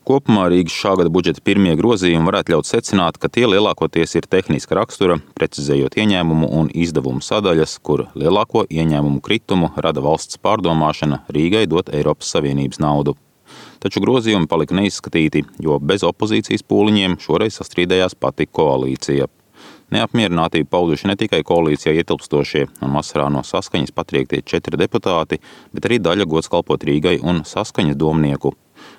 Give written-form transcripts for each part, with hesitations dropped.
Kopumā Rīgas šā gada budžeta pirmie grozījumi varētu ļaut secināt, ka tie lielākoties ir tehniska rakstura, precizējot ieņēmumu un izdevumu sadaļas, kur lielāko ieņēmumu kritumu rada valsts pārdomāšana Rīgai dot Eiropas Savienības naudu. Taču grozījumi palika neizskatīti, jo bez opozīcijas pūliņiem šoreiz sastrīdējās pati koalīcija. Neapmierinātību pauduši ne tikai koalīcijā ietilpstošie un vasarā no Saskaņas patriektie 4 deputāti, bet arī daļa gods kalpot Rīgai un Saskaņas domnieku.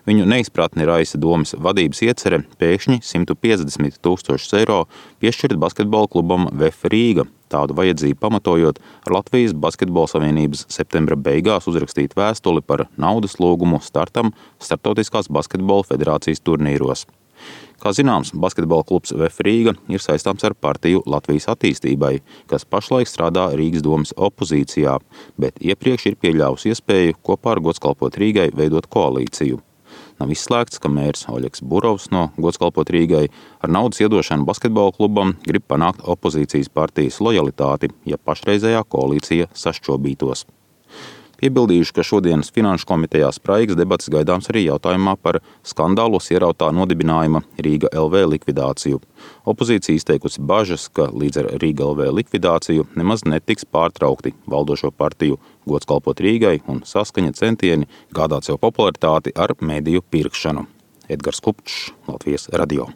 Viņu neizpratni raisa domas vadības iecere pēkšņi 150 000 eiro piešķirt basketbola klubam VF Rīga, tādu vajadzību pamatojot ar Latvijas Basketbola Savienības septembra beigās uzrakstīt vēstuli par naudas lūgumu startam Startautiskās basketbola federācijas turnīros. Kā zināms, basketbola klubs VF Rīga ir saistāms ar partiju Latvijas attīstībai, kas pašlaik strādā Rīgas domas opozīcijā, bet iepriekš ir pieļāvusi iespēju kopā ar gods kalpot Rīgai veidot koalīciju. Nav izslēgts, ka mērs Oļegs Burovs no gods kalpot Rīgai ar naudas iedošanu basketbola klubam grib panākt opozīcijas partijas lojalitāti, ja pašreizējā koalīcija sašķobītos. Piebildījuši, ka šodienas Finanšu komitejā spraigas debats gaidāms arī jautājumā par skandālos ierautā nodibinājuma Rīga LV likvidāciju. Opozīcija izteikusi bažas, ka līdz ar Rīga LV likvidāciju nemaz netiks pārtraukti valdošo partiju gods kalpot Rīgai un Saskaņa centieni gādāt sev popularitāti ar mediju pirkšanu. Edgars Kupčs, Latvijas radio.